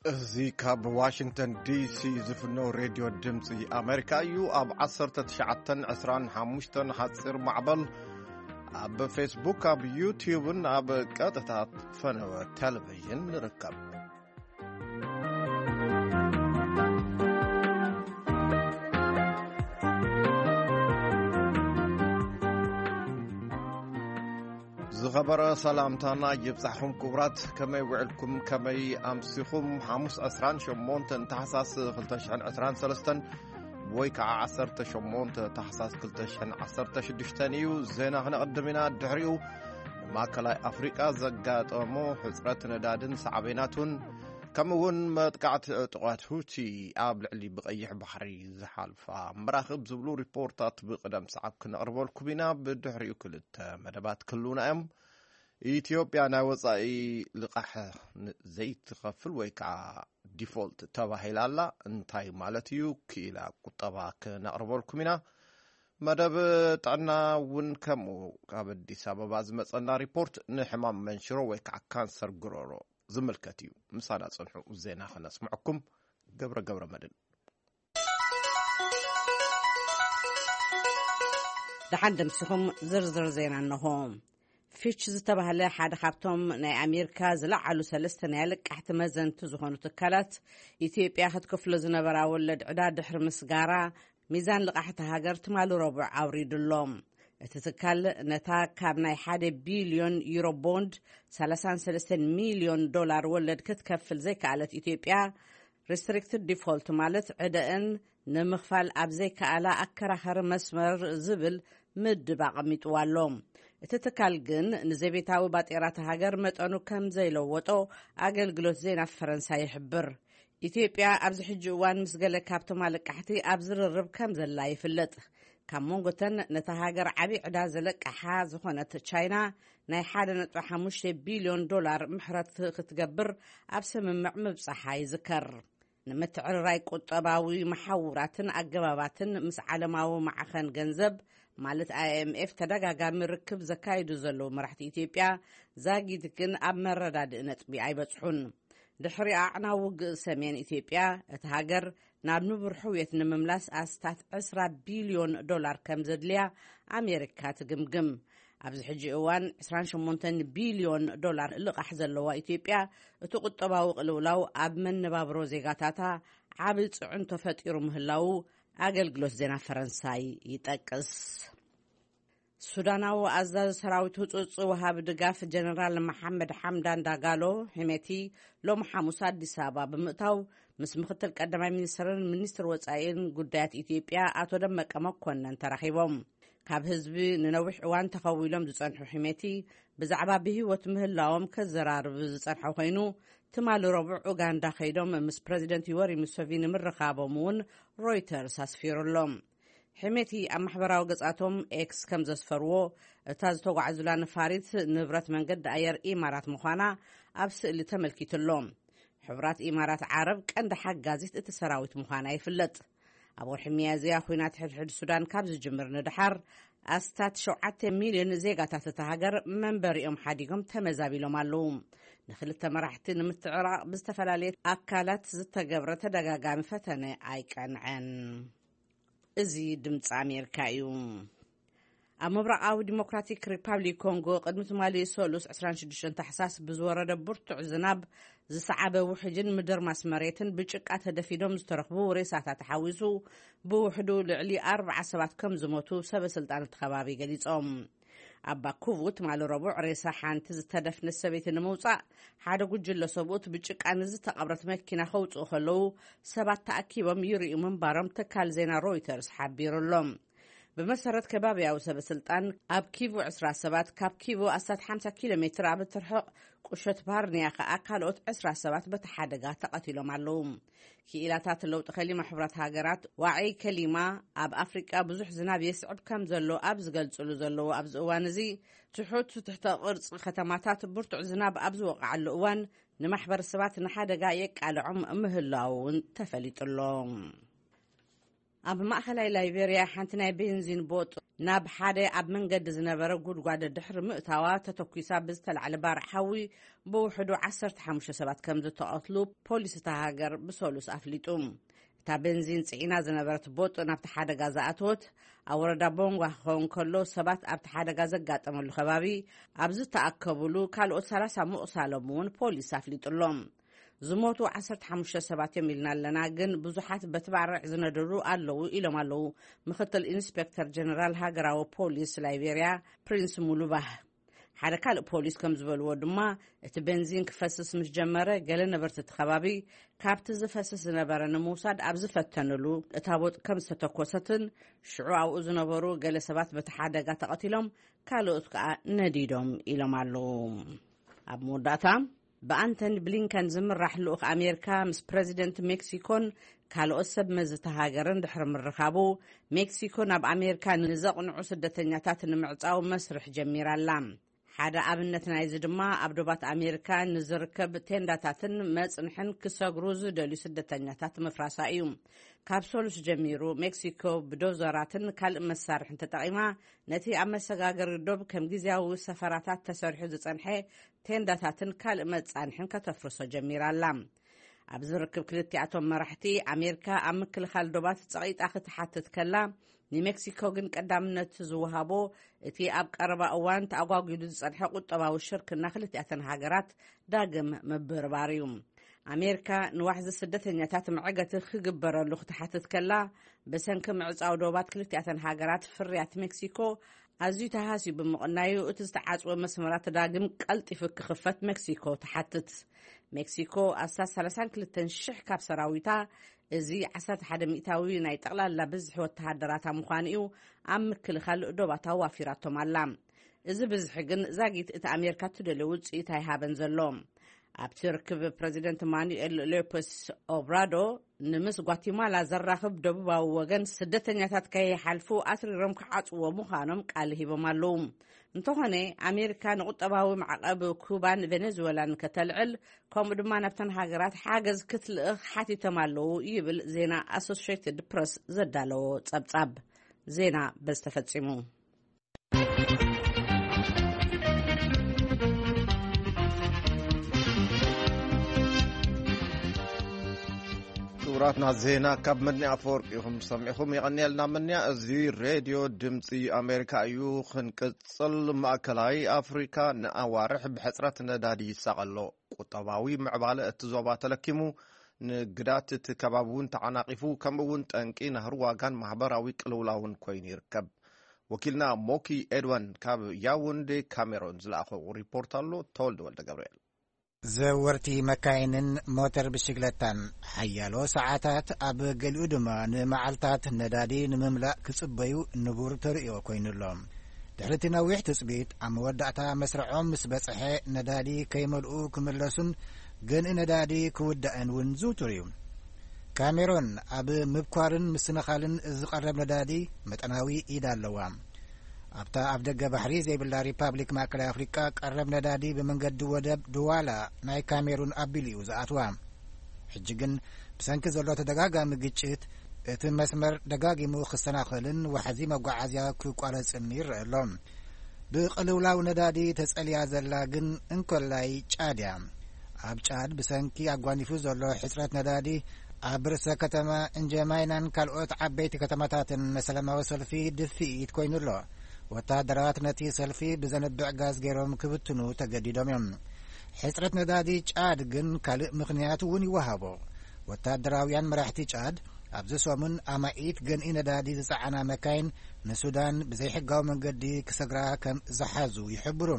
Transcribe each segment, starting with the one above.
እዚ ካብ ዋሽንግተን ዲሲ ዝፍኖ ሬድዮ ድምፂ ኣሜሪካ እዩ። ኣብ ዓሰርተ ትሽዓተን ዕስራን ሓሙሽተን ሓፂር ማዕበል፣ ኣብ ፌስቡክ፣ ኣብ ዩትዩብን ኣብ ቀጥታ ፈነወ ቴሌቪዥን ንርከብ። ዝኸበረ ሰላምታና ይብጻሕኹም ክቡራት፣ ከመይ ውዕልኩም፣ ከመይ ኣምሲኹም? ሓሙስ ዕስራን ሸሞንተን ታሕሳስ ክልተ ሽሕን ዕስራን ሰለስተን ወይ ከዓ ዓሰርተ ሸሞንተ ታሕሳስ ክልተ ሽሕን ዓሰርተ ሽዱሽተን እዩ። ዜና ክነቕድም ኢና። ድሕሪኡ ንማእከላይ ኣፍሪቃ ዘጋጠሞ ሕጽረት ነዳድን ሳዕቤናቱን፣ ከምኡ እውን መጥቃዕቲ ዕጡቓት ሁቲ ኣብ ልዕሊ ብቐይሕ ባሕሪ ዝሓልፋ መራኽብ ዝብሉ ሪፖርታት ብቕደም ሰዓብ ክነቕርበልኩም ኢና። ብድሕሪኡ ክልተ መደባት ክህልውና እዮም። ኢትዮጵያ ናይ ወጻኢ ልቓሕ ን-፣ ዘይትኸፍል ወይ ከዓ ዲፎልት ተባሂላ ኣላ። እንታይ ማለት እዩ? ክኢላ ቁጠባ ክነቕርበልኩም ኢና። መደብ ጥዕና እውን ከምኡ። ካብ ኣዲስ ኣበባ ዝመጸና ሪፖርት ንሕማም መንሽሮ ወይ ከዓ ካንሰር ጉሮሮ ዝምልከት እዩ። ምሳና ጽንሑ፣ ዜና ክነስምዐኩም። ገብረ ገብረ መድን። ደሓን ደምሲኹም። ዝርዝር ዜና እንሆ። ፊች ዝተባህለ ሓደ ካብቶም ናይ ኣሜሪካ ዝለዓሉ ሰለስተ ናይ ልቃሕቲ መዘንቲ ዝኾኑ ትካላት፣ ኢትዮጵያ ክትከፍሎ ዝነበራ ወለድ ዕዳ ድሕሪ ምስጋራ፣ ሚዛን ልቃሕቲ ሃገር ትማሊ ረቡዕ ኣውሪዱ ኣሎ። እቲ ትካል ነታ ካብ ናይ ሓደ ቢልዮን ዩሮ ቦንድ ሰላሳን ሰለስተን ሚልዮን ዶላር ወለድ ክትከፍል ዘይከኣለት ኢትዮጵያ፣ ሪስትሪክትድ ዲፎልት ማለት ዕደአን ንምኽፋል ኣብ ዘይከኣላ ኣከራኸሪ መስመር ዝብል ምድብ ኣቐሚጥዋ ኣሎ። እቲ ትካል ግን ንዘቤታዊ ባጤራት ሃገር መጠኑ ከም ዘይለወጦ ኣገልግሎት ዜና ፈረንሳይ ይሕብር። ኢትዮጵያ ኣብዚ ሕጂ እዋን ምስ ገለ ካብቶም ኣለቃሕቲ ኣብ ዝርርብ ከም ዘላ ይፍለጥ። ካብ መንጎተን ነታ ሃገር ዓቢ ዕዳ ዘለቃሓ ዝኾነት ቻይና፣ ናይ ሓደ ነጥቢ ሓሙሽተ ቢልዮን ዶላር ምሕረት ክትገብር ኣብ ስምምዕ ምብጻሓ ይዝከር። ንምትዕርራይ ቁጠባዊ መሓውራትን ኣገባባትን ምስ ዓለማዊ ማዕኸን ገንዘብ ማለት ኣይ ኤም ኤፍ ተደጋጋሚ ርክብ ዘካይዱ ዘለዉ መራሕቲ ኢትዮጵያ፣ ዛጊት ግን ኣብ መረዳድኢ ነጥቢ ኣይበጽሑን። ድሕሪ ኣዕናዊ ውግእ ሰሜን ኢትዮጵያ፣ እታ ሃገር ናብ ንቡር ሕውየት ንምምላስ ኣስታት ዕስራ ቢልዮን ዶላር ከም ዘድልያ ኣሜሪካ ትግምግም። ኣብዚ ሕጂ እዋን ዕስራን ሸሞንተን ቢልዮን ዶላር ልቓሕ ዘለዋ ኢትዮጵያ፣ እቲ ቁጠባዊ ቅልውላው ኣብ መነባብሮ ዜጋታታ ዓቢ ጽዕንቶ ፈጢሩ ምህላዉ ኣገልግሎት ዜና ፈረንሳይ ይጠቅስ። ሱዳናዊ ኣዛዚ ሰራዊት ህጹጽ ወሃቢ ድጋፍ ጀነራል መሓመድ ሓምዳን ዳጋሎ ሒሜቲ ሎሚ ሓሙስ ኣዲስ ኣበባ ብምእታው፣ ምስ ምክትል ቀዳማይ ሚኒስትርን ሚኒስትር ወጻኢን ጉዳያት ኢትዮጵያ ኣቶ ደመቀ መኮነን ተራኺቦም። ካብ ህዝቢ ንነዊሕ እዋን ተኸዊሎም ዝጸንሑ ሒሜቲ፣ ብዛዕባ ብህይወት ምህላዎም ከዘራርብ ዝጸንሐ ኮይኑ፣ ትማሊ ረቡዕ ኡጋንዳ ከይዶም ምስ ፕረዚደንት ዮወሪ ሙሰቪኒ ምርኻቦም እውን ሮይተርስ ኣስፊሩ ኣሎ። ሒሜቲ ኣብ ማሕበራዊ ገጻቶም ኤክስ ከም ዘስፈርዎ፣ እታ ዝተጓዕዙላ ነፋሪት ንብረት መንገዲ ኣየር ኢማራት ምዃና ኣብ ስእሊ ተመልኪቱ ኣሎ። ሕቡራት ኢማራት ዓረብ ቀንዲ ሓጋዚት እቲ ሰራዊት ምዃና ይፍለጥ። ኣብ ወርሒ ሚያዝያ፣ ኲናት ሕድሕድ ሱዳን ካብ ዝጅምር ንድሓር፣ ኣስታት ሸውዓተ ሚልዮን ዜጋታት እታ ሃገር መንበሪኦም ሓዲጎም ተመዛቢሎም ኣለዉ። ንክልተ መራሕቲ ንምትዕራቕ ብዝተፈላለየ ኣካላት ዝተገብረ ተደጋጋሚ ፈተነ ኣይቀንዐን። እዚ ድምፂ ኣሜሪካ እዩ። ኣብ ምብራቓዊ ዲሞክራቲክ ሪፓብሊክ ኮንጎ፣ ቅድሚ ትማሊ ሰሉስ ዕስራን ሽዱሽተን ታሕሳስ ብዝወረደ ብርቱዕ ዝናብ ዝሰዓበ ውሕጅን ምድርማስ መሬትን ብጭቃ ተደፊኖም ዝተረኽቡ ሬሳታት ሓዊሱ፣ ብውሕዱ ልዕሊ ኣርብዓ ሰባት ከም ዝሞቱ ሰበ ስልጣን እቲ ከባቢ ገሊጾም። ኣብ ባኩቡ ትማሊ ረቡዕ፣ ሬሳ ሓንቲ ዝተደፍነት ሰበይቲ ንምውጻእ ሓደ ጉጅለ ሰብኡት ብጭቃ ንዝተቐብረት መኪና ከውጽኡ ከለዉ፣ ሰባት ተኣኪቦም ይርእዩ ምንባሮም ትካል ዜና ሮይተርስ ሓቢሩ ኣሎ። ብመሰረት ከባቢያዊ ሰበ ስልጣን፣ ኣብ ኪቩ ዕስራ ሰባት፣ ካብ ኪቩ ኣስታት ሓምሳ ኪሎ ሜትር ኣብ እትርሕቕ ቁሸት ባርንያ ከኣ ካልኦት ዕስራ ሰባት በቲ ሓደጋ ተቐቲሎም ኣለዉ። ክኢላታት ለውጢ ከሊማ ሕቡራት ሃገራት ዋዒ ከሊማ ኣብ ኣፍሪቃ ብዙሕ ዝናብ የስዕብ ከም ዘሎ ኣብ ዝገልጽሉ ዘለዉ ኣብዚ እዋን እዚ፣ ትሑት ትሕተ ቅርጺ ከተማታት ብርቱዕ ዝናብ ኣብ ዝወቕዓሉ እዋን ንማሕበረሰባት ንሓደጋ የቃልዖም ምህላዉ እውን ተፈሊጡ ኣሎ። ኣብ ማእኸላይ ላይቤርያ ሓንቲ ናይ ቤንዚን ቦጥ ናብ ሓደ ኣብ መንገዲ ዝነበረ ጉድጓድ ድሕሪ ምእታዋ ተተኲሳ ብዝተላዕለ ባርዕ ሓዊ ብውሕዱ ዓሰርተ ሓሙሽተ ሰባት ከም ዝተቐትሉ ፖሊስ እታ ሃገር ብሰሉስ ኣፍሊጡ። እታ ቤንዚን ጽዒና ዝነበረት ቦጥ ናብቲ ሓደጋ ዝኣተወት ኣብ ወረዳ ቦንጓ ክኸውን ከሎ፣ ሰባት ኣብቲ ሓደጋ ዘጋጠመሉ ከባቢ ኣብ ዝተኣከቡሉ ካልኦት ሰላሳ ምቑሳሎም እውን ፖሊስ ኣፍሊጡ ኣሎ። ዝሞቱ ዓሰርተ ሓሙሽተ ሰባት እዮም ኢልና ኣለና፣ ግን ብዙሓት በቲ ባርዕ ዝነደዱ ኣለዉ ኢሎም ኣለዉ ምክትል ኢንስፔክተር ጀነራል ሃገራዊ ፖሊስ ላይቤርያ ፕሪንስ ሙሉባህ። ሓደ ካልእ ፖሊስ ከም ዝበልዎ ድማ፣ እቲ ቤንዚን ክፈስስ ምስ ጀመረ፣ ገለ ነበርቲ እቲ ከባቢ ካብቲ ዝፈስስ ዝነበረ ንምውሳድ ኣብ ዝፈተንሉ እታ ቦጥ ከም ዝተተኮሰትን፣ ሽዑ ኣብኡ ዝነበሩ ገለ ሰባት በቲ ሓደጋ ተቐቲሎም፣ ካልኦት ከኣ ነዲዶም ኢሎም ኣለዉ። ኣብ መወዳእታ፣ ብኣንቶኒ ብሊንከን ዝምራሕ ልኡኽ ኣሜሪካ ምስ ፕረዚደንት ሜክሲኮን ካልኦት ሰብ መዚ እታ ሃገርን ድሕሪ ምርኻቡ፣ ሜክሲኮ ናብ ኣሜሪካ ንዘቕንዑ ስደተኛታት ንምዕጻው መስርሕ ጀሚራ ኣላ። ሓደ ኣብነት ናይዚ ድማ ኣብ ዶባት ኣሜሪካ ንዝርከብ ቴንዳታትን መጽንሕን ክሰግሩ ዝደልዩ ስደተኛታት ምፍራሳ እዩ። ካብ ሰሉስ ጀሚሩ ሜክሲኮ ብዶዘራትን ካልእ መሳርሕን ተጠቒማ ነቲ ኣብ መሰጋገሪ ዶብ ከም ግዝያዊ ሰፈራታት ተሰሪሑ ዝጸንሐ ቴንዳታትን ካልእ መጻንሕን ከተፍርሶ ጀሚራ ኣላ። ኣብ ዝርክብ ክልቲኣቶም መራሕቲ፣ ኣሜሪካ ኣብ ምክልኻል ዶባት ጸቒጣ ክትሓትት ከላ፣ ንሜክሲኮ ግን ቀዳምነት ዝወሃቦ እቲ ኣብ ቀረባ እዋን ተኣጓጒሉ ዝጸንሐ ቁጠባዊ ሽርክና ክልቲኣተን ሃገራት ዳግም ምብርባር እዩ። ኣሜሪካ ንዋሕዚ ስደተኛታት መዕገቲ ክግበረሉ ክትሓትት ከላ፣ ብሰንኪ ምዕጻው ዶባት ክልቲኣተን ሃገራት፣ ፍርያት ሜክሲኮ ኣዝዩ ተሃስዩ ብምቕናዩ፣ እቲ ዝተዓጽወ መስመራት ዳግም ቀልጢፉ ክኽፈት ሜክሲኮ ትሓትት። ሜክሲኮ ኣስታት ሰላሳን ክልተን ሽሕ ካብ ሰራዊታ፣ እዚ ዓሰርተ ሓደ ሚእታዊ ናይ ጠቕላላ ብዝሒ ወተሃደራታ ምዃኑ እዩ፣ ኣብ ምክልኻል ዶባት ኣዋፊራቶም ኣላ። እዚ ብዝሒ ግን ዛጊት እቲ ኣሜሪካ ትደልዮ ውጽኢት ኣይሃበን ዘሎ። ኣብቲ ርክብ፣ ፕረዚደንት ማኑኤል ሎፐስ ኦብራዶ ንምስ ጓቲማላ ዘራኽብ ደቡባዊ ወገን ስደተኛታት ከይሓልፉ ኣትሪሮም ክዓጽዎ ምዃኖም ቃል ሂቦም ኣለዉ። እንተኾነ፣ ኣሜሪካ ንቁጠባዊ ማዕቐብ ኩባን ቬኔዙዌላን ከተልዕል፣ ከምኡ ድማ ናብተን ሃገራት ሓገዝ ክትልእኽ ሓቲቶም ኣለዉ ይብል ዜና ኣሶሽየትድ ፕረስ ዘዳለዎ ጸብጻብ። ዜና በዚ ተፈጺሙ። ክቡራትና፣ ዜና ካብ መድንያ ኣፈወርቂ ኢኹም ሰሚዕኹም። የቐንየልና መድንያ። እዚ ሬድዮ ድምፂ ኣሜሪካ እዩ። ክንቅፅል፣ ማእከላይ ኣፍሪካ ንኣዋርሕ ብሕፅረት ነዳዲ ይሳቐ ኣሎ። ቁጠባዊ ምዕባለ እቲ ዞባ ተለኪሙ፣ ንግዳት እቲ ከባቢ እውን ተዓናቒፉ፣ ከምኡ እውን ጠንቂ ናህሪ ዋጋን ማህበራዊ ቅልውላውን ኮይኑ ይርከብ። ወኪልና ሞኪ ኤድዋን ካብ ያውንዴ ካሜሮን ዝለኣኾ ሪፖርት ኣሎ። ተወልደ ወልደ ገብርኤል። ዘወርቲ መካይንን ሞተር ብሽግለታን ሓያሎ ሰዓታት፣ ኣብ ገሊኡ ድማ ንመዓልታት ነዳዲ ንምምላእ ክጽበዩ ንቡር ተርእዮ ኮይኑ ኣሎ። ድሕሪ እቲ ነዊሕ ትጽቢት፣ ኣብ መወዳእታ መስርዖም ምስ በጽሐ፣ ነዳዲ ከይመልኡ ክምለሱን ገንኢ ነዳዲ ክውዳእን እውን ዝውቱር እዩ። ካሜሮን ኣብ ምብኳርን ምስንኻልን ዝቐረብ ነዳዲ መጠናዊ ኢድ ኣለዋ። ኣብታ ኣብ ደገ ባሕሪ ዘይብላ ሪፓብሊክ ማእከላይ ኣፍሪቃ፣ ቀረብ ነዳዲ ብመንገዲ ወደብ ድዋላ ናይ ካሜሩን ኣቢሉ እዩ ዝኣትዋ። ሕጂ ግን፣ ብሰንኪ ዘሎ ተደጋጋሚ ግጭት፣ እቲ መስመር ደጋጊሙ ክሰናኸልን ዋሕዚ መጓዓዝያ ክቋረጽን ይረአ ኣሎ። ብቅልውላው ነዳዲ ተጸልያ ዘላ ግን እንኮላይ ጫድ እያ። ኣብ ጫድ ብሰንኪ ኣጓኒፉ ዘሎ ሕጽረት ነዳዲ፣ ኣብ ርእሰ ከተማ እንጀማይናን ካልኦት ዓበይቲ ከተማታትን ሰላማዊ ሰልፊ ድፍኢት ኮይኑ ኣሎ። ወተሃደራት ነቲ ሰልፊ ብዘንብዕ ጋዝ ገይሮም ክብትኑ ተገዲዶም እዮም። ሕጽረት ነዳዲ ጫድ ግን ካልእ ምኽንያት እውን ይወሃቦ። ወተሃደራውያን መራሕቲ ጫድ፣ ኣብዚ ሰሙን ኣማኢት ገንኢ ነዳዲ ዝጸዓና መካይን ንሱዳን ብዘይሕጋዊ መንገዲ ክሰግራ ከም ዝሓዙ ይሕብሩ።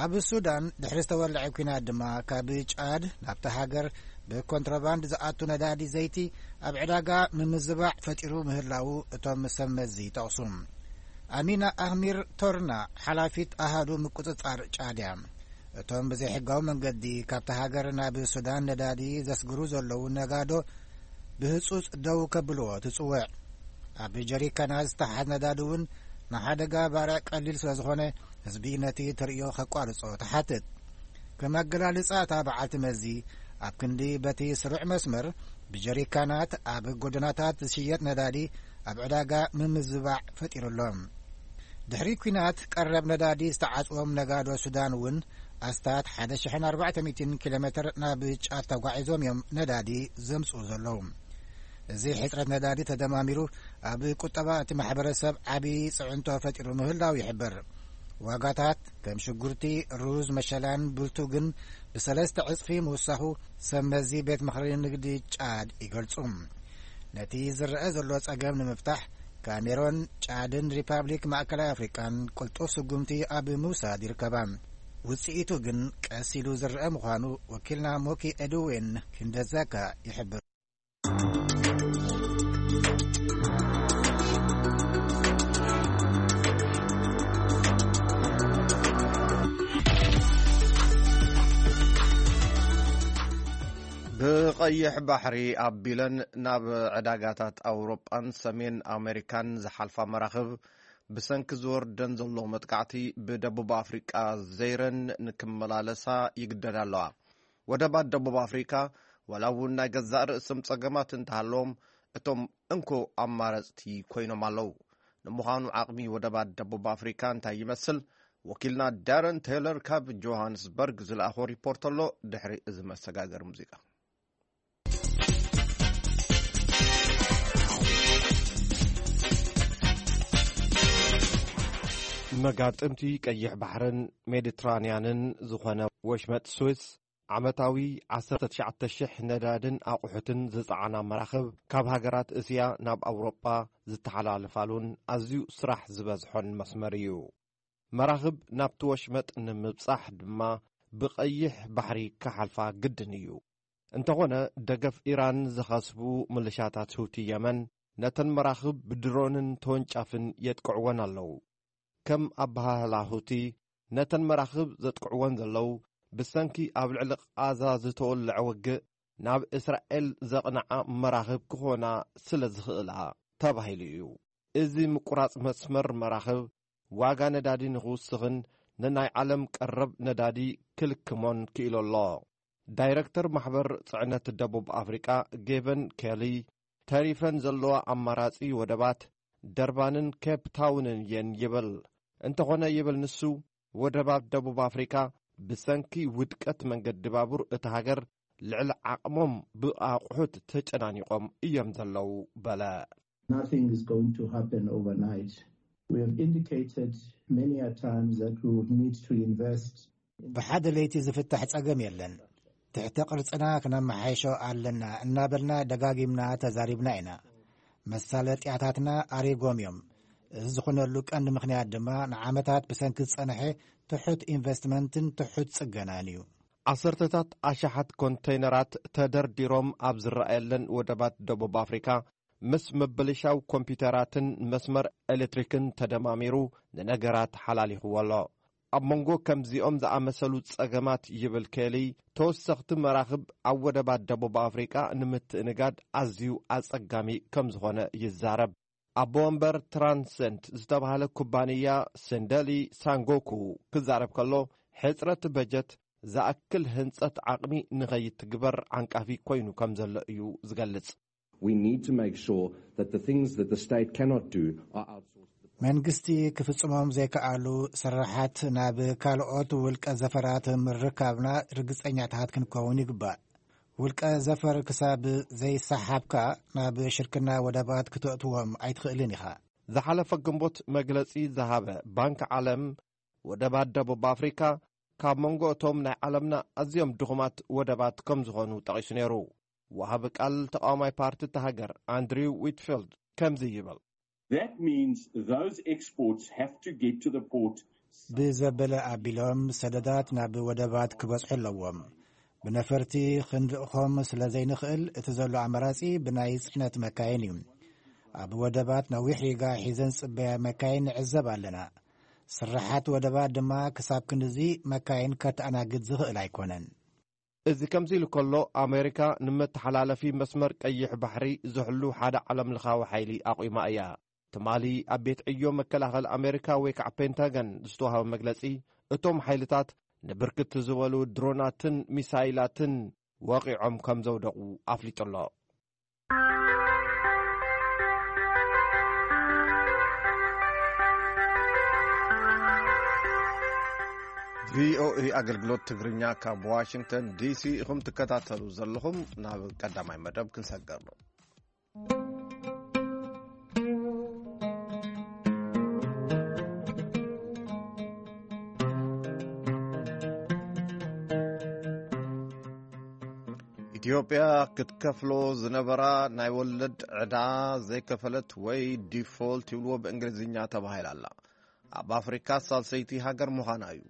ኣብ ሱዳን ድሕሪ ዝተወልዐ ኲናት ድማ፣ ካብ ጫድ ናብታ ሃገር ብኮንትሮባንድ ዝኣቱ ነዳዲ ዘይቲ ኣብ ዕዳጋ ምምዝባዕ ፈጢሩ ምህላዉ እቶም ሰብ መዚ ይጠቕሱ። ኣሚና ኣህሚር ቶርና፣ ሓላፊት ኣሃዱ ምቁጽጻር ጫድ እያ። እቶም ብዘይሕጋዊ መንገዲ ካብታ ሃገር ናብ ሱዳን ነዳዲ ዘስግሩ ዘለዉ ነጋዶ ብህጹጽ ደው ከብልዎ ትጽውዕ። ኣብ ጀሪካናት ዝተሓዝ ነዳዲ እውን ንሓደጋ ባርዕ ቀሊል ስለ ዝኾነ፣ ህዝቢ ነቲ ተርእዮ ከቋርጾ ትሓትት። ከም ኣገላልጻ እታ በዓልቲ መዚ፣ ኣብ ክንዲ በቲ ስሩዕ መስመር ብጀሪካናት ኣብ ጎደናታት ዝሽየጥ ነዳዲ ኣብ ዕዳጋ ምምዝባዕ ፈጢሩ ኣሎ። ድሕሪ ኲናት ቀረብ ነዳዲ ዝተዓጽዎም ነጋዶ ሱዳን እውን ኣስታት ሓደ ሽሕን ኣርባዕተ ሚእትን ኪሎ ሜትር ናብ ጫድ ተጓዒዞም እዮም ነዳዲ ዘምጽኡ ዘለዉ። እዚ ሕጽረት ነዳዲ ተደማሚሩ ኣብ ቁጠባ እቲ ማሕበረሰብ ዓቢ ጽዕንቶ ፈጢሩ ምህላው ይሕበር። ዋጋታት ከም ሽጉርቲ፣ ሩዝ፣ መሸላን ብልቱግን ብሰለስተ ዕጽፊ ምውሳኹ ሰብ መዚ ቤት ምኽሪ ንግዲ ጫድ ይገልጹ። ነቲ ዝረአ ዘሎ ጸገም ንምፍታሕ ካሜሮን፣ ጫድን ሪፓብሊክ ማእከላይ ኣፍሪቃን ቅልጡፍ ስጉምቲ ኣብ ምውሳድ ይርከባ። ውጽኢቱ ግን ቀስ ኢሉ ዝረአ ምዃኑ ወኪልና ሞኪ ኤድዌን ኪንደዛካ ይሕብር። ብቐይሕ ባሕሪ ኣቢለን ናብ ዕዳጋታት ኣውሮጳን ሰሜን ኣሜሪካን ዝሓልፋ መራኽብ ብሰንኪ ዝወርደን ዘሎ መጥቃዕቲ ብደቡብ ኣፍሪቃ ዘይረን ንክመላለሳ ይግደዳ ኣለዋ። ወደባት ደቡብ ኣፍሪካ ዋላ እውን ናይ ገዛእ ርእሶም ጸገማት እንተሃለዎም እቶም እንኮ ኣማረጽቲ ኮይኖም ኣለዉ። ንምዃኑ ዓቕሚ ወደባት ደቡብ ኣፍሪካ እንታይ ይመስል? ወኪልና ዳረን ቴይለር ካብ ጆሃንስበርግ ዝለኣኾ ሪፖርት ኣሎ። ድሕሪ እዚ መሰጋገሪ ሙዚቃ። መጋጥምቲ ቀይሕ ባሕርን ሜዲትራንያንን ዝኾነ ወሽመጥ ስዊስ ዓመታዊ ዓሰርተ ትሽዓተ ሽሕ ነዳድን ኣቑሑትን ዝጸዓና መራኽብ ካብ ሃገራት እስያ ናብ ኣውሮጳ ዝተሓላለፋሉን ኣዝዩ ስራሕ ዝበዝሖን መስመር እዩ። መራኽብ ናብቲ ወሽመጥ ንምብጻሕ ድማ ብቐይሕ ባሕሪ ክሓልፋ ግድን እዩ። እንተኾነ ደገፍ ኢራን ዝኸስቡ ምልሻታት ሁቲ የመን ነተን መራኽብ ብድሮንን ተወንጫፍን የጥቅዕወን ኣለዉ። ከም ኣበሃህላ ሁቲ ነተን መራኽብ ዘጥቅዕወን ዘለዉ ብሰንኪ ኣብ ልዕሊ ቓዛ ዝተወልዐ ውግእ ናብ እስራኤል ዘቕንዓ መራኽብ ክኾና ስለ ዝኽእላ ተባሂሉ እዩ። እዚ ምቁራጽ መስመር መራኽብ ዋጋ ነዳዲ ንኽውስኽን ንናይ ዓለም ቀረብ ነዳዲ ክልክሞን ክኢሉ ኣሎ። ዳይረክተር ማሕበር ጽዕነት ደቡብ ኣፍሪቃ ጌቨን ኬሊ ተሪፈን ዘለዋ ኣማራጺ ወደባት ደርባንን ኬፕ ታውንን እየን ይብል። እንተኾነ ይብል ንሱ፣ ወደባት ደቡብ ኣፍሪካ ብሰንኪ ውድቀት መንገዲ ባቡር እታ ሃገር ልዕሊ ዓቕሞም ብኣቑሑት ተጨናኒቖም እዮም ዘለዉ በለ። Nothing is going to happen overnight. We have indicated many a times that we would need to invest. ብሓደ ለይቲ ዝፍታሕ ጸገም የለን። ትሕተ ቅርጽና ክነመሓይሾ ኣለና እናበልና ደጋጊምና ተዛሪብና ኢና። መሳለጥያታትና ኣሪጎም እዮም። እዚ ዝኾነሉ ቀንዲ ምኽንያት ድማ ንዓመታት ብሰንኪ ዝጸንሐ ትሑት ኢንቨስትመንትን ትሑት ጽገናን እዩ። ዓሰርተታት ኣሽሓት ኮንተይነራት ተደርዲሮም ኣብ ዝረኣየለን ወደባት ደቡብ ኣፍሪካ፣ ምስ ምብልሻው ኮምፒውተራትን መስመር ኤሌክትሪክን ተደማሚሩ ንነገራት ሓላሊኽዎ ኣሎ። ኣብ መንጎ ከምዚኦም ዝኣመሰሉ ጸገማት ይብል ኬሊ፣ ተወሰኽቲ መራኽብ ኣብ ወደባት ደቡብ ኣፍሪቃ ንምትእንጋድ ኣዝዩ ኣጸጋሚ ከም ዝኾነ ይዛረብ። ኣቦ ወንበር ትራንሰንት ዝተባህለ ኩባንያ ሰንደሊ ሳንጎኩ ክዛረብ ከሎ፣ ሕጽረት በጀት ዝኣክል ህንጸት ዓቕሚ ንኸይትግበር ዓንቃፊ ኮይኑ ከም ዘሎ እዩ ዝገልጽ። We need to make sure that the things that the state cannot do are outsourced. መንግስቲ ክፍጽሞም ዘይከኣሉ ስራሓት ናብ ካልኦት ውልቀ ዘፈራት ምርካብና ርግጸኛታት ክንከውን ይግባእ። ውልቀ ዘፈር ክሳብ ዘይሰሓብካ ናብ ሽርክና ወደባት ክተእትዎም ኣይትኽእልን ኢኻ። ዝሓለፈ ግንቦት መግለጺ ዝሃበ ባንክ ዓለም፣ ወደባት ደቡብ ኣፍሪካ ካብ መንጎ እቶም ናይ ዓለምና ኣዝዮም ድኹማት ወደባት ከም ዝኾኑ ጠቒሱ ነይሩ። ወሃቢ ቃል ተቃዋማይ ፓርቲ እታ ሃገር ኣንድሪው ዊትፊልድ ከምዚ ይብል። That means those exports have to get to the port. ብዘበለ ኣቢሎም ሰደዳት ናብ ወደባት ክበጽሑ ኣለዎም። ብነፈርቲ ክንልእኾም ስለ ዘይንኽእል፣ እቲ ዘሎ ኣማራጺ ብናይ ጽዕነት መካይን እዩ። ኣብ ወደባት ነዊሕ ሪጋ ሒዘን ዝጽበያ መካይን ንዕዘብ ኣለና። ስራሓት ወደባት ድማ ክሳብ ክንድዚ መካይን ከተኣናግድ ዝኽእል ኣይኮነን። እዚ ከምዚ ኢሉ ከሎ፣ ኣሜሪካ ንመተሓላለፊ መስመር ቀይሕ ባሕሪ ዝሕሉ ሓደ ዓለምለኻዊ ሓይሊ ኣቑማ እያ። ትማሊ ኣብ ቤት ዕዮ መከላኸሊ ኣሜሪካ ወይ ከዓ ፔንታገን ዝተዋሃበ መግለጺ፣ እቶም ሓይልታት ንብርክት ዝበሉ ድሮናትን ሚሳይላትን ወቒዖም ከም ዘውደቑ ኣፍሊጡ ኣሎ። ቪኦኤ ኣገልግሎት ትግርኛ ካብ ዋሽንግተን ዲሲ ኢኹም ትከታተሉ ዘለኹም። ናብ ቀዳማይ መደብ ክንሰገር ነው። ኢትዮጵያ ክትከፍሎ ዝነበራ ናይ ወለድ ዕዳ ዘይከፈለት ወይ ዲፎልት ይብልዎ ብእንግሊዝኛ ተባሂላ ኣላ። ኣብ ኣፍሪካ ሳልሰይቲ ሃገር ምዃና እዩ።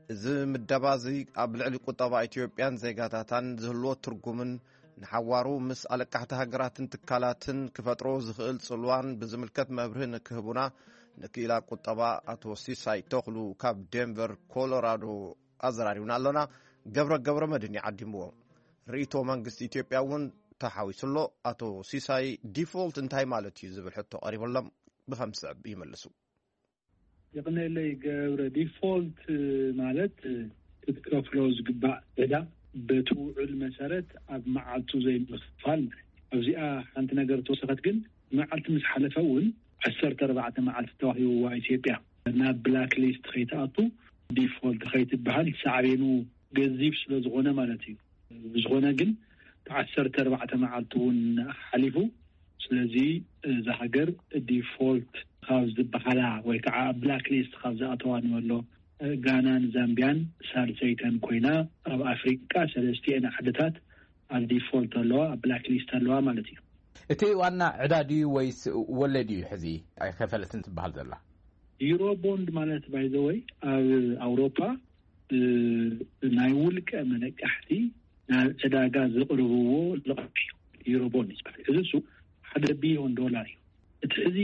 እዚ ምደባ እዚ ኣብ ልዕሊ ቁጠባ ኢትዮጵያን ዜጋታታን ዝህልዎ ትርጉምን ንሓዋሩ ምስ ኣለቃሕቲ ሃገራትን ትካላትን ክፈጥሮ ዝኽእል ጽልዋን ብዝምልከት መብርሂ ንክህቡና ንክኢላ ቁጠባ ኣቶ ሲሳይ ተኽሉ ካብ ዴንቨር ኮሎራዶ ኣዘራሪቡና ኣሎና። ገብረ ገብረ መድን ይዓዲምዎ። ርእይቶ መንግስቲ ኢትዮጵያ እውን ተሓዊሱ ኣሎ። ኣቶ ሲሳይ ዲፎልት እንታይ ማለት እዩ ዝብል ሕቶ ቀሪቡሎም ብኸም ዝስዕብ ይመልሱ። የቕነለይ ገብረ፣ ዲፎልት ማለት ክትከፍሎ ዝግባእ ዕዳ በቲ ውዕል መሰረት ኣብ መዓልቱ ዘይምኽፋል ማለት እዩ። ኣብዚኣ ሓንቲ ነገር ተወሰኸት ግን መዓልቲ ምስ ሓለፈ እውን ዓሰርተ ኣርባዕተ መዓልቲ ተዋሂብዋ ኢትዮጵያ ናብ ብላክ ሊስት ከይትኣቱ ዲፎልት ከይትበሃል ሳዕቤኑ ገዚፍ ስለ ዝኾነ ማለት እዩ። ብዝኾነ ግን ዓሰርተ ኣርባዕተ መዓልቲ እውን ሓሊፉ። ስለዚ እዛ ሃገር ዲፎልት ካብ ዝበሃላ ወይ ከዓ ብላክ ሊስት ካብ ዝኣተዋ ንበሎ ጋናን ዛምቢያን ሳልሰይተን ኮይና ኣብ ኣፍሪቃ ሰለስቲኤን ዓድታት ኣብ ዲፎልት ኣለዋ፣ ኣብ ብላክ ሊስት ኣለዋ ማለት እዩ። እቲ ዋና ዕዳ ድዩ ወይስ ወለድ እዩ ሕዚ ኣይከፈለትን ትበሃል ዘላ? ዩሮ ቦንድ ማለት ባይዘወይ ኣብ ኣውሮፓ ናይ ውልቀ መለቃሕቲ ናብ ዕዳጋ ዘቕርብዎ ልቓሕ እዩ። ዩሮ ቦንድ ዝበሃል እዚ እሱ ሓደ ቢሊዮን ዶላር እዩ። እቲ ሕዚ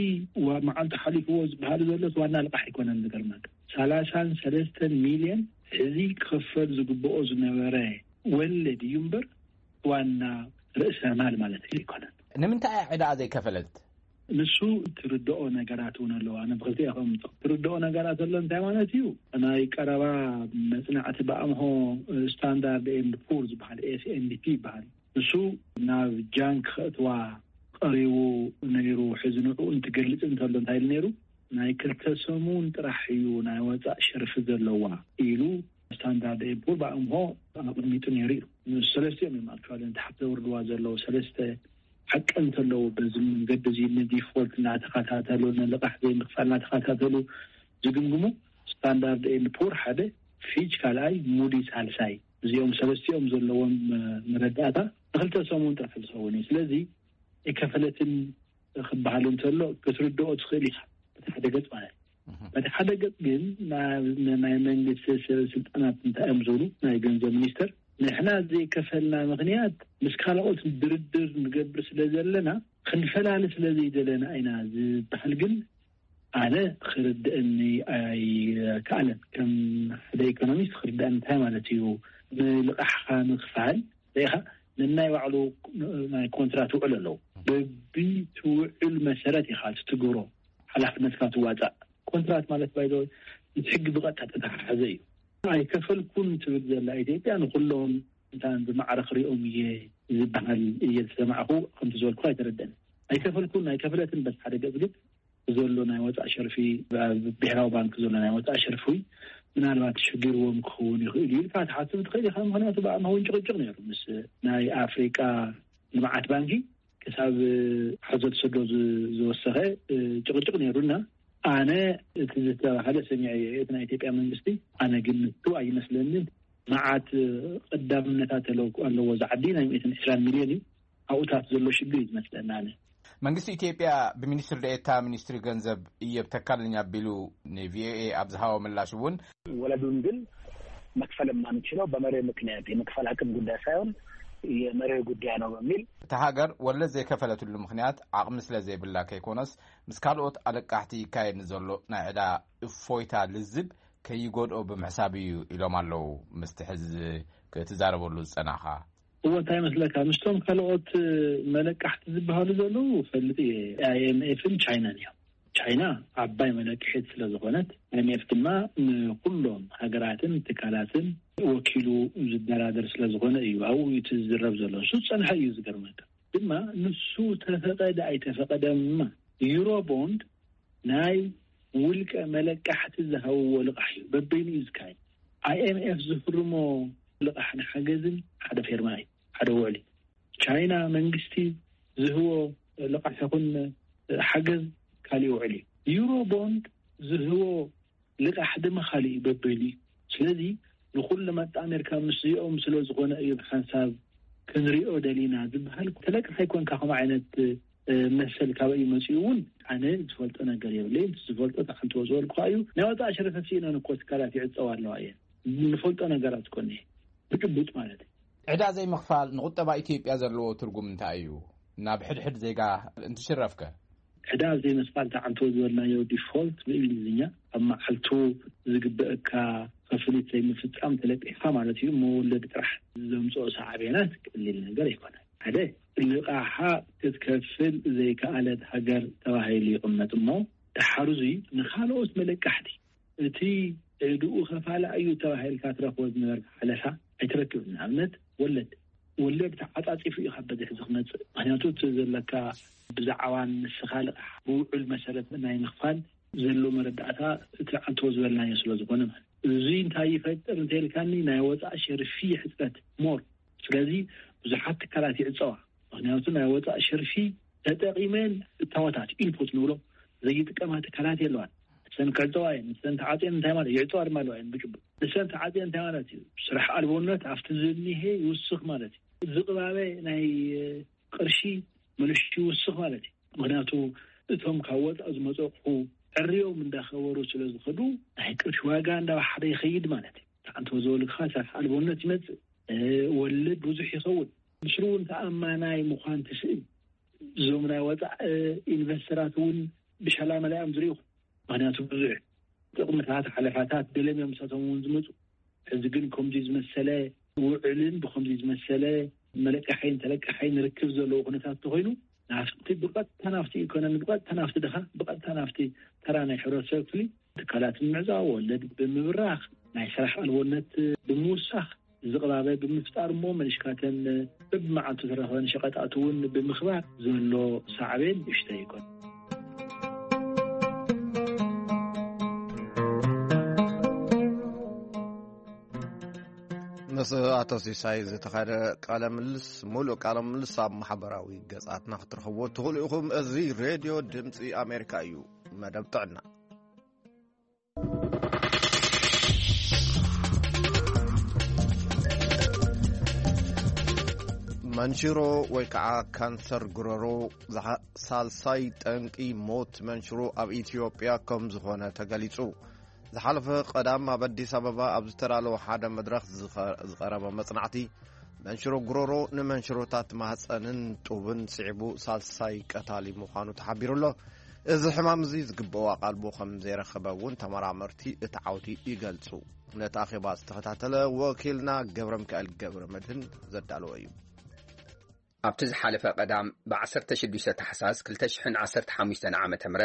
መዓልቲ ሓሊፍዎ ዝበሃል ዘሎ ዋና ልቓሕ ኣይኮነን። ዝገርመካ ሰላሳን ሰለስተን ሚልዮን ሕዚ ክኽፈል ዝግብኦ ዝነበረ ወለድ እዩ እምበር ዋና ርእሰ ማል ማለት ኣይኮነን። ንምንታይ እያ ዕዳኣ ዘይከፈለት? ንሱ ትርድኦ ነገራት እውን ኣለዋ። ኣነ ብክልቲኡ ከምጾ ትርድኦ ነገራት ዘሎ እንታይ ማለት እዩ? ናይ ቀረባ መጽናዕቲ ብኣምሆ ስታንዳርድ ኤንድ ፑር ዝበሃል ኤስኤንዲፒ ይበሃል። ንሱ ናብ ጃንክ ከእትዋ ቀሪቡ ነይሩ። ሕዚ ንዕኡ እንትገልጽ እንተሎ እንታይ ኢሉ ነይሩ? ናይ ክልተ ሰሙን ጥራሕ እዩ ናይ ወጻእ ሸርፊ ዘለዋ ኢሉ ስታንዳርድ ኤንድ ፑር ብኣምሆ ኣቐሚጡ ነይሩ እዩ። ንሱ ሰለስቲኦም እዮም ኣክቹዋሊ ንታሕቲ ዘውርድዋ ዘለዉ ሰለስተ ሓቂ እንተለዉ በዚ መንገዲ እዚ ንዲፎልት እናተኸታተሉ ንልቓሕ ዘይምኽፋል እናተኸታተሉ ዝግምግሙ ስታንዳርድ ኤንድ ፑር ሓደ፣ ፊች ካልኣይ፣ ሙዲ ሳልሳይ። እዚኦም ሰለስቲኦም ዘለዎም መረዳእታ ንክልተ ሰሙን ጥራሕ ዝኸውን እዩ። ስለዚ ኣይከፈለትን ክበሃል እንተሎ ክትርድኦ ትኽእል ኢኻ በቲ ሓደ ገፅ ማለት እዩ። በቲ ሓደ ገፅ ግን ናይ መንግስቲ ስልጣናት እንታይ እዮም ዝብሉ ናይ ገንዘብ ሚኒስተር ንሕና ዘይከፈልና ምኽንያት ምስ ካልኦት ድርድር ንገብር ስለ ዘለና ክንፈላሊ ስለ ዘይደለና ኢና ዝበሃል ግን ኣነ ክርድእኒ ኣይከኣለን። ከም ሓደ ኢኮኖሚስት ክርድእኒ እንታይ ማለት እዩ ንልቃሕካ ምክፋል ርኢኻ ነናይ ባዕሉ ናይ ኮንትራት ውዕል ኣለዉ። በቢ ትውዕል መሰረት ኢኻ ትትግብሮ ሓላፍነትካ ትዋፃእ። ኮንትራት ማለት ባይዘ እቲ ሕጊ ብቐጥታ ተተሓሓዘ እዩ። ኣይከፈልኩን ትብል ዘላ ኢትዮጵያ ንኩሎም እንታን ብማዕረ ክሪኦም እየ ዝበሃል እየ ዝሰማዕኹ። ከምቲ ዝበልኩ ኣይተረደን ኣይከፈልኩን ኣይከፍለትን በስ ሓደ ገፅ ግን ዘሎ ናይ ወፃእ ሸርፊ ብሔራዊ ባንክ ዘሎ ናይ ወፃእ ሸርፊ ምናልባት ሽግርዎም ክኸውን ይኽእል እዩ ኢልካ ትሓስብ ትኽእል ኢኻ። ምክንያቱ ብኣምሃውን ጭቕጭቕ ነይሩ ምስ ናይ ኣፍሪቃ ልምዓት ባንኪ ክሳብ ሓዞ ተሰዶ ዝወሰኸ ጭቕጭቕ ነይሩና። ኣነ እቲ ዝተባሃለ ሰሚዐ እቲ ናይ ኢትዮጵያ መንግስቲ ኣነ ግን ንቱ ኣይመስለንን። መዓት ቀዳምነታት ኣለዎ ዝዓዲ ናይ ሚእትን ዕስራን ሚልዮን እዩ። ኣብኡታት ዘሎ ሽግር እዩ ዝመስለና ኣነ። መንግስቲ ኢትዮጵያ ብሚኒስትር ደኤታ ሚኒስትሪ ገንዘብ እየብ ተካልኝ ኣቢሉ ንቪኦኤ ኣብ ዝሃቦ ምላሽ እውን ወለዱን ግን መክፈል የማንችለው በመሬ ምክንያት የመክፈል አቅም ጉዳይ ሳይሆን የመሬ ጉዳይ ነው በሚል እታ ሃገር ወለድ ዘይከፈለትሉ ምክንያት ዓቕሚ ስለ ዘይብላ ከይኮነስ ምስ ካልኦት ኣለቃሕቲ ይካየድ ንዘሎ ናይ ዕዳ እፎይታ ልዝብ ከይጎድኦ ብምሕሳብ እዩ ኢሎም ኣለዉ። ምስቲ ሕዚ ክትዛረበሉ ዝጸናኻ እወ እንታይ መስለካ ምስቶም ካልኦት መለቃሕቲ ዝበሃሉ ዘለዉ ፈልጥ እየ ኣይኤምኤፍን ቻይናን እዮም። ቻይና ዓባይ መለክሒት ስለ ዝኾነት፣ ኣይምኤፍ ድማ ንኩሎም ሃገራትን ትካላትን ወኪሉ ዝደራደር ስለ ዝኾነ እዩ ኣብኡ እቲ ዝዝረብ ዘሎ። እሱ ዝጸንሐ እዩ። ዝገርመካ ድማ፣ ንሱ ተፈቐደ ኣይተፈቐደማ፣ ዩሮ ቦንድ ናይ ውልቀ መለቃሕቲ ዝሃብዎ ልቓሕ እዩ። በበይኑ እዩ ዝካየድ። ኣይኤምኤፍ ዝፍርሞ ልቓሕ ንሓገዝን ሓደ ፌርማ እዩ፣ ሓደ ውዕል እዩ። ቻይና መንግስቲ ዝህቦ ልቓሕ ይኹን ሓገዝ ካሊእ ውዕል እዩ። ዩሮ ቦንድ ዝህቦ ልቓሕ ድማ ካሊእ እዩ፣ በበይኑ እዩ። ስለዚ ንኹሉ መጣ ኣሜሪካ ምስዚኦም ስለ ዝኾነ እዩ ሓንሳብ ክንሪኦ ደሊና ዝበሃል። ተለቅሕ ኣይኮንካ ከምኡ ዓይነት መሰል ካበይ እዩ መፂኡ እውን ኣነ ዝፈልጦ ነገር የብለይ። ዝፈልጦ ተሓንቶ ዝበልኩ እዩ። ናይ ወፃኢ ሸረፈት ስኢነን እኮ ትካላት ይዕፀዋ ኣለዋ እየን። ንፈልጦ ነገራት ኮነ ብጭቡጥ ማለት እዩ። ዕዳ ዘይምኽፋል ንቁጠባ ኢትዮጵያ ዘለዎ ትርጉም እንታይ እዩ? ናብ ሕድሕድ ዜጋ እንትሽረፍከ? ዕዳ ዘይምኽፋል ተዓንቶ ዝበልናዮ ዲፎልት ብእንግሊዝኛ ኣብ መዓልቱ ዝግበእካ ክፍሊት ዘይምፍፃም ተለቂሕካ ማለት እዩ። መወለድ ጥራሕ ዘምፅኦ ሳዕቤናት ቀሊል ነገር ኣይኮነን። ሓደ፣ ልቓሓ ክትከፍል ዘይከኣለት ሃገር ተባሂሉ ይቕመጥ እሞ፣ ድሓር እዙይ ንኻልኦት መለቃሕቲ እቲ ዕድኡ ከፋልኣ እዩ ተባሂልካ ትረኽቦ ዝነበርካ ሓለፋ ኣይትረክብን። ንኣብነት ወለድ፣ ወለድ ተዓፃፂፉ እዩ ካብ በዝሒ ዝመፅእ። ምክንያቱ እቲ ዘለካ ብዛዕባን ንስኻ ልቓሕ ብውዕል መሰረት ናይ ምኽፋል ዘሎ መረዳእታ እቲ ዓንቶ ዝበልናዮ ስለ ዝኾነ ማለት እዚ እንታይ ይፈጥር እንተልካኒ ናይ ወፃእ ሸርፊ ሕፅረት ሞር ስለዚ ብዙሓት ትካላት ይዕፀዋ። ምክንያቱ ናይ ወፃእ ሸርፊ ተጠቂመን እታወታት ኢንፑት ንብሎ ዘይጥቀማ ትካላት የለዋን። ንሰን ክዕፀዋ እየን። ንሰን ተዓፅየን እንታይ ማለት ይዕፀዋ ድማ ኣለዋ እየን ብጭቡጥ። ንሰን ተዓፅየን እንታይ ማለት እዩ? ስራሕ ኣልቦነት ኣብቲ ዝኒሄ ይውስኽ ማለት እዩ። ዝቕባበ ናይ ቅርሺ መልሹ ይውስኽ ማለት እዩ። ምክንያቱ እቶም ካብ ወፃእ ዝመፀቑሑ ዕርዮም እንዳኸበሩ ስለ ዝኸዱ ናይ ቅርሺ ዋጋ እንዳባሓደ ይኸይድ ማለት እዩ። ተዓንቶ ዝበልካ ስራሕ ኣልቦነት ይመፅእ፣ ወለድ ብዙሕ ይኸውን። ምስሉ እውን ተኣማናይ ምዃን ትስእል። እዞም ናይ ወፃእ ኢንቨስተራት እውን ብሻላ መላኦም ዝሪኡ። ምክንያቱ ብዙሕ ጥቕምታት ሓለፋታት ገለም እዮም ምሳቶም እውን ዝመፁ። ሕዚ ግን ከምዚ ዝመሰለ ውዕልን ብከምዚ ዝመሰለ መለቃሓይን ተለቃሓይን ርክብ ዘለዎ ኩነታት ተኮይኑ ናፍቲ ብቐጥታ ናፍቲ ኢኮኖሚ ብቐጥታ ናፍቲ ድኻ ብቐጥታ ናፍቲ ተራ ናይ ሕብረተሰብ ክፍሊ ትካላት ንምዕዛው ወለድ ብምብራኽ ናይ ስራሕ ኣልቦነት ብምውሳኽ ዝቕባበ ብምፍጣር እሞ መሊሽካተን በብመዓልቱ ዝረኸበን ሸቐጣት እውን ብምኽባር ዘሎ ሳዕቤን ንእሽተይ ይኮን። ምስ ኣቶ ሲሳይ ዝተኻደ ቃለ ምልስ ሙሉእ ቃለ ምልስ ኣብ ማሕበራዊ ገጻትና ክትረኽብዎ ትኽእሉ ኢኹም። እዚ ሬድዮ ድምፂ ኣሜሪካ እዩ። መደብ ጥዕና። መንሽሮ ወይ ከዓ ካንሰር ጉረሮ ዝሓ- ሳልሳይ ጠንቂ ሞት መንሽሮ ኣብ ኢትዮጵያ ከም ዝኾነ ተገሊጹ። ዝሓለፈ ቀዳም ኣብ ኣዲስ ኣበባ ኣብ ዝተዳለወ ሓደ መድረኽ ዝኸ- ዝቐረበ መጽናዕቲ መንሽሮ ጉረሮ ንመንሽሮታት ማህፀንን ጡብን ስዒቡ ሳልሳይ ቀታሊ ምዃኑ ተሓቢሩ ኣሎ። እዚ ሕማም እዚ ዝግብኦ ኣቓልቦ ከም ዘይረኸበ እውን ተመራመርቲ እቲ ዓውዲ ይገልጹ። ነቲ ኣኼባ ዝተኸታተለ ወኪልና ገብረ ሚካኤል ገብረ መድህን ዘዳለወ እዩ። ኣብቲ ዝሓለፈ ቀዳም ብ16 ታሕሳስ 2015 ዓ.ም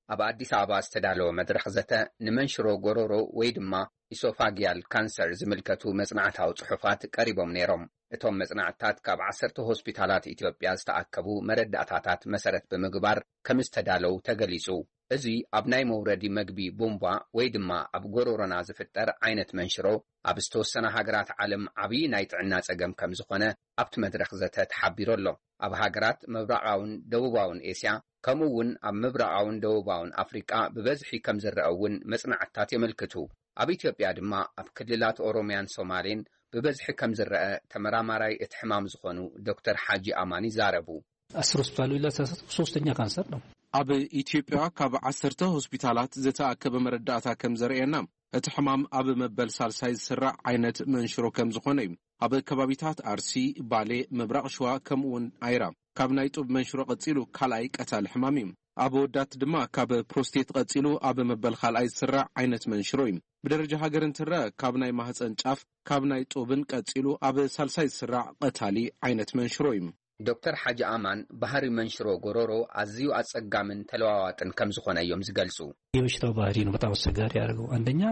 ኣብ ኣዲስ ኣበባ ዝተዳለወ መድረኽ ዘተ ንመንሽሮ ጎሮሮ ወይ ድማ ኢሶፋጊያል ካንሰር ዝምልከቱ መጽናዕታዊ ጽሑፋት ቀሪቦም ነይሮም። እቶም መጽናዕትታት ካብ ዓሰርተ ሆስፒታላት ኢትዮጵያ ዝተኣከቡ መረዳእታታት መሰረት ብምግባር ከም ዝተዳለው ተገሊጹ። እዚ ኣብ ናይ መውረዲ መግቢ ቡምቧ ወይ ድማ ኣብ ጎሮሮና ዝፍጠር ዓይነት መንሽሮ ኣብ ዝተወሰነ ሃገራት ዓለም ዓብዪ ናይ ጥዕና ጸገም ከም ዝኾነ ኣብቲ መድረኽ ዘተ ተሓቢሩ ኣሎ። ኣብ ሃገራት ምብራቓውን ደቡባውን ኤስያ ከምኡ እውን ኣብ ምብራቓውን ደቡባውን ኣፍሪቃ ብበዝሒ ከም ዝረአ እውን መጽናዕትታት የመልክቱ። ኣብ ኢትዮጵያ ድማ ኣብ ክልላት ኦሮሚያን ሶማሌን ብበዝሒ ከም ዝረአ ተመራማራይ እቲ ሕማም ዝኾኑ ዶክተር ሓጂ ኣማን ይዛረቡ። አስር ሆስፒታል ቢላ ሶስተኛ ካንሰር ነው። ኣብ ኢትዮጵያ ካብ ዓሰርተ ሆስፒታላት ዝተኣከበ መረዳእታ ከም ዘርእየና እቲ ሕማም ኣብ መበል ሳልሳይ ዝስራዕ ዓይነት መንሽሮ ከም ዝኾነ እዩ። ኣብ ከባቢታት ኣርሲ፣ ባሌ፣ ምብራቕ ሽዋ ከምኡ እውን ኣይራ ካብ ናይ ጡብ መንሽሮ ቀጺሉ ካልኣይ ቀታሊ ሕማም እዩ። ኣብ ወዳት ድማ ካብ ፕሮስቴት ቀጺሉ ኣብ መበል ካልኣይ ዝስራዕ ዓይነት መንሽሮ እዩ። ብደረጃ ሃገር እንትረአ ካብ ናይ ማህፀን ጫፍ ካብ ናይ ጡብን ቀጺሉ ኣብ ሳልሳይ ዝስራዕ ቀታሊ ዓይነት መንሽሮ እዩ። ዶክተር ሓጂ ኣማን፣ ባህሪ መንሽሮ ጎሮሮ ኣዝዩ ኣጸጋምን ተለዋዋጥን ከም ዝኾነ እዮም ዝገልጹ። የበሽታው ባህሪ ነው በጣም አስቸጋሪ ያደርገው። አንደኛ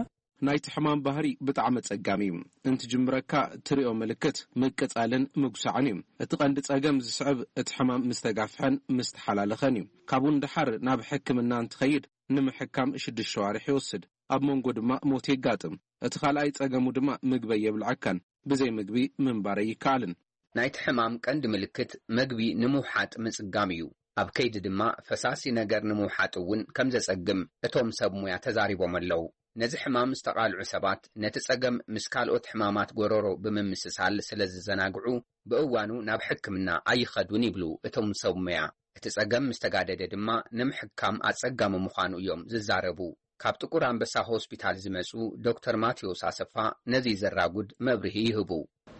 ናይቲ ሕማም ባህሪ ብጣዕሚ ኣጸጋሚ እዩ። እንትጅምረካ ትሪኦ ምልክት ምቅጻልን ምጉሳዕን እዩ። እቲ ቀንዲ ጸገም ዝስዕብ እቲ ሕማም ምስ ተጋፍሐን ምስ ተሓላለኸን እዩ። ካብኡ ንደሓር ናብ ሕክምና እንትኸይድ ንምሕካም ሽዱሽተ ሸዋርሕ ይወስድ። ኣብ መንጎ ድማ ሞት የጋጥም። እቲ ካልኣይ ጸገሙ ድማ ምግበይ የብልዐካን። ብዘይ ምግቢ ምንባር ኣይከኣልን። ናይቲ ሕማም ቀንዲ ምልክት መግቢ ንምውሓጥ ምጽጋም እዩ። ኣብ ከይዲ ድማ ፈሳሲ ነገር ንምውሓጥ እውን ከም ዘጸግም እቶም ሰብ ሙያ ተዛሪቦም ኣለዉ። ነዚ ሕማም ዝተቓልዑ ሰባት ነቲ ጸገም ምስ ካልኦት ሕማማት ጎረሮ ብምምስሳል ስለ ዝዘናግዑ ብእዋኑ ናብ ሕክምና ኣይኸዱን ይብሉ እቶም ሰብ ሙያ። እቲ ጸገም ምስ ተጋደደ ድማ ንምሕካም ኣጸጋሚ ምዃኑ እዮም ዝዛረቡ። ካብ ጥቁር ኣንበሳ ሆስፒታል ዝመጹ ዶክተር ማቴዎስ ኣሰፋ ነዚ ዘራጉድ መብርሂ ይህቡ።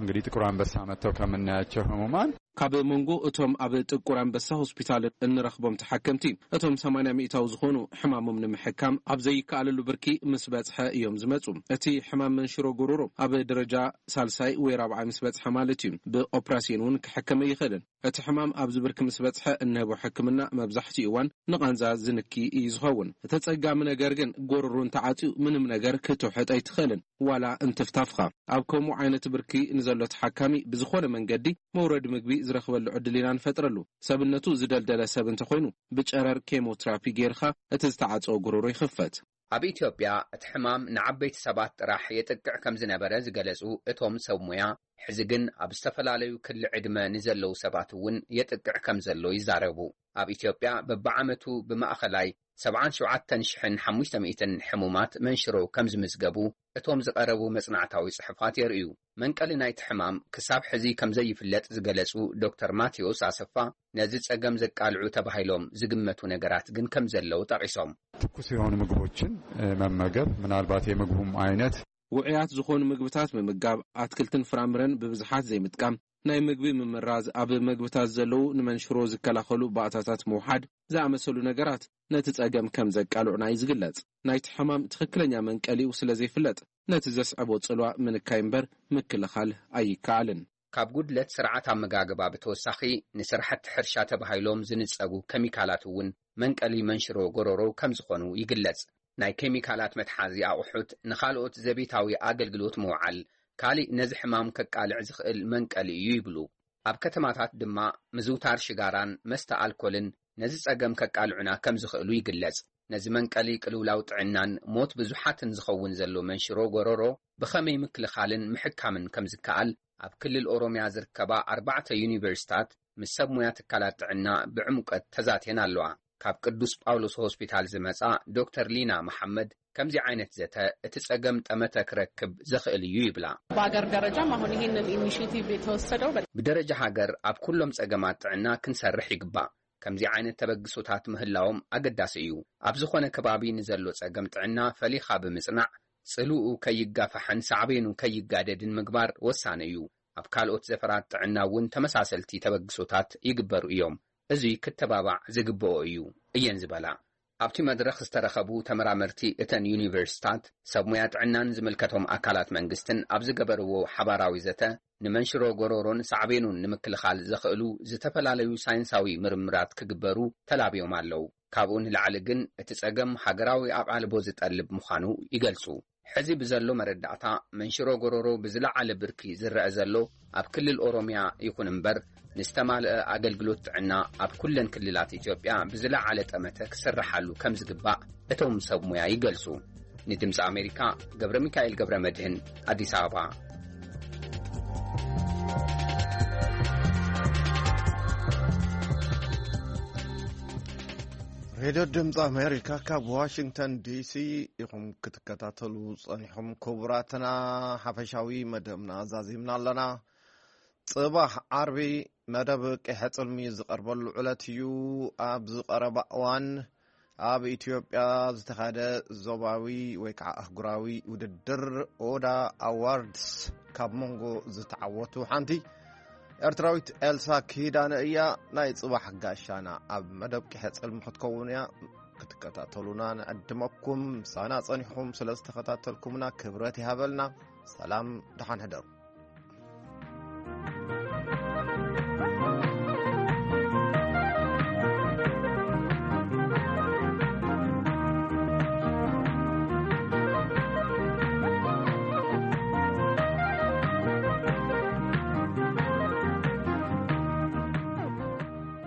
እንግዲህ ጥቁር አንበሳ መጥተው ከምናያቸው ህሙማን ካብ መንጎ እቶም ኣብ ጥቁር ኣንበሳ ሆስፒታል እንረኽቦም ተሓከምቲ፣ እቶም ሰማንያ ሚእታዊ ዝኾኑ ሕማሞም ንምሕካም ኣብ ዘይከኣለሉ ብርኪ ምስ በጽሐ እዮም ዝመጹ። እቲ ሕማም መንሽሮ ጎሮሮ ኣብ ደረጃ ሳልሳይ ወይ ራብዓይ ምስ በጽሐ ማለት እዩ። ብኦፕራሲዮን እውን ክሕከም ኣይኽእልን። እቲ ሕማም ኣብዚ ብርኪ ምስ በጽሐ እንህቦ ሕክምና መብዛሕትኡ እዋን ንቓንዛ ዝንኪ እዩ ዝኸውን። እቲ ኣጸጋሚ ነገር ግን ጎሮሮ እንተዓጽዩ ምንም ነገር ክትውሕጥ ኣይትኽእልን፣ ዋላ እንትፍታፍኻ። ኣብ ከምኡ ዓይነት ብርኪ ንዘሎ ተሓካሚ ብዝኾነ መንገዲ መውረዲ ምግቢ ዝረኽበሉ ዕድል ኢና ንፈጥረሉ። ሰብነቱ ዝደልደለ ሰብ እንተኾይኑ ብጨረር ኬሞትራፒ ጌርኻ እቲ ዝተዓጸወ ጎሮሮ ይኽፈት። ኣብ ኢትዮጵያ እቲ ሕማም ንዓበይቲ ሰባት ጥራሕ የጥቅዕ ከም ዝነበረ ዝገለጹ እቶም ሰብ ሙያ፣ ሕዚ ግን ኣብ ዝተፈላለዩ ክሊ ዕድመ ንዘለዉ ሰባት እውን የጥቅዕ ከም ዘሎ ይዛረቡ። ኣብ ኢትዮጵያ በብዓመቱ ብማእኸላይ ሰብዓን ሸውዓተን ሽሕን ሓሙሽተ ሚእትን ሕሙማት መንሽሮ ከም ዝምዝገቡ እቶም ዝቐረቡ መጽናዕታዊ ጽሑፋት የርእዩ። መንቀሊ ናይቲ ሕማም ክሳብ ሕዚ ከም ዘይፍለጥ ዝገለጹ ዶክተር ማቴዎስ ኣሰፋ፣ ነዚ ጸገም ዘቃልዑ ተባሂሎም ዝግመቱ ነገራት ግን ከም ዘለዉ ጠቒሶም። ትኩስ የሆኑ ምግቦችን መመገብ፣ ምናልባት የምግቡም ዓይነት ውዑያት ዝኾኑ ምግብታት ምምጋብ፣ ኣትክልትን ፍራምረን ብብዝሓት ዘይምጥቃም፣ ናይ ምግቢ ምምራዝ፣ ኣብ ምግብታት ዘለዉ ንመንሽሮ ዝከላኸሉ ባእታታት ምውሓድ ዝኣመሰሉ ነገራት ነቲ ጸገም ከም ዘቃልዑና እዩ ዝግለጽ። ናይቲ ሕማም ትኽክለኛ መንቀሊኡ ስለ ዘይፍለጥ ነቲ ዘስዕቦ ጽልዋ ምንካይ እምበር ምክልኻል ኣይከኣልን። ካብ ጉድለት ስርዓት ኣመጋግባ ብተወሳኺ ንስራሕቲ ሕርሻ ተባሂሎም ዝንጸጉ ኬሚካላት እውን መንቀሊ መንሽሮ ጎረሮ ከም ዝኾኑ ይግለጽ። ናይ ኬሚካላት መትሓዚ ኣቑሑት ንኻልኦት ዘቤታዊ ኣገልግሎት ምውዓል ካሊእ ነዚ ሕማም ከቃልዕ ዝኽእል መንቀሊ እዩ ይብሉ። ኣብ ከተማታት ድማ ምዝውታር ሽጋራን መስተ ኣልኮልን ነዚ ጸገም ከቃልዑና ከም ዝኽእሉ ይግለጽ። ነዚ መንቀሊ ቅልውላው ጥዕናን ሞት ብዙሓትን ዝኸውን ዘሎ መንሽሮ ጎረሮ ብኸመይ ምክልኻልን ምሕካምን ከም ዝከኣል ኣብ ክልል ኦሮምያ ዝርከባ ኣርባዕተ ዩኒቨርሲታት ምስ ሰብ ሙያ ትካላት ጥዕና ብዕምቀት ተዛትየን ኣለዋ። ካብ ቅዱስ ጳውሎስ ሆስፒታል ዝመጻ ዶክተር ሊና መሓመድ ከምዚ ዓይነት ዘተ እቲ ጸገም ጠመተ ክረክብ ዘኽእል እዩ ይብላ። በሀገር ደረጃም አሁን ይህንን ኢኒሽቲቭ የተወሰደው በ- ብደረጃ ሃገር ኣብ ኩሎም ጸገማት ጥዕና ክንሰርሕ ይግባእ። ከምዚ ዓይነት ተበግሶታት ምህላዎም ኣገዳሲ እዩ። ኣብ ዝኾነ ከባቢ ንዘሎ ጸገም ጥዕና ፈሊኻ ብምጽናዕ፣ ጽልኡ ከይጋፋሕን ሳዕቤኑ ከይጋደድን ምግባር ወሳኒ እዩ። ኣብ ካልኦት ዘፈራት ጥዕና እውን ተመሳሰልቲ ተበግሶታት ይግበሩ እዮም። እዙይ ክተባባዕ ዝግብኦ እዩ እየን ዝበላ። ኣብቲ መድረኽ ዝተረኸቡ ተመራመርቲ እተን ዩኒቨርሲታት፣ ሰብ ሙያ ጥዕናን ዝምልከቶም ኣካላት መንግስትን ኣብ ዝገበርዎ ሓባራዊ ዘተ፣ ንመንሽሮ ጎሮሮን ሳዕቤኑን ንምክልኻል ዘኽእሉ ዝተፈላለዩ ሳይንሳዊ ምርምራት ክግበሩ ተላብዮም ኣለዉ። ካብኡ ንላዕሊ ግን እቲ ጸገም ሃገራዊ ኣቓልቦ ዝጠልብ ምዃኑ ይገልጹ። ሕዚ ብዘሎ መረዳእታ መንሽሮ ጎሮሮ ብዝለዓለ ብርኪ ዝረአ ዘሎ ኣብ ክልል ኦሮምያ ይኹን እምበር ንዝተማልአ ኣገልግሎት ጥዕና ኣብ ኩለን ክልላት ኢትዮጵያ ብዝለዓለ ጠመተ ክስርሓሉ ከም ዝግባእ እቶም ሰብ ሙያ ይገልጹ። ንድምፂ ኣሜሪካ ገብረ ሚካኤል ገብረ መድህን ኣዲስ ኣበባ። ሬድዮ ድምፂ ኣሜሪካ ካብ ዋሽንግተን ዲሲ ኢኹም ክትከታተሉ ጸኒሑም። ክቡራትና ሓፈሻዊ መደብና ዛዚምና ኣለና። ጽባሕ ዓርቢ መደብ ቂሐ ጽልሚ ዝቐርበሉ ዕለት እዩ። ኣብ ዝቐረባ እዋን ኣብ ኢትዮጵያ ዝተኻደ ዞባዊ ወይ ከዓ ኣህጉራዊ ውድድር ኦዳ ኣዋርድስ ካብ መንጎ ዝተዓወቱ ሓንቲ ኤርትራዊት ኤልሳ ኪዳነ እያ። ናይ ጽባሕ ጋሻና ኣብ መደብ ቂሐ ጽልሚ ክትከውን እያ። ክትከታተሉና ንዕድመኩም። ምሳና ጸኒሕኩም ስለ ዝተኸታተልኩምና ክብረት ይሃበልና። ሰላም፣ ደሓን ሕደሩ።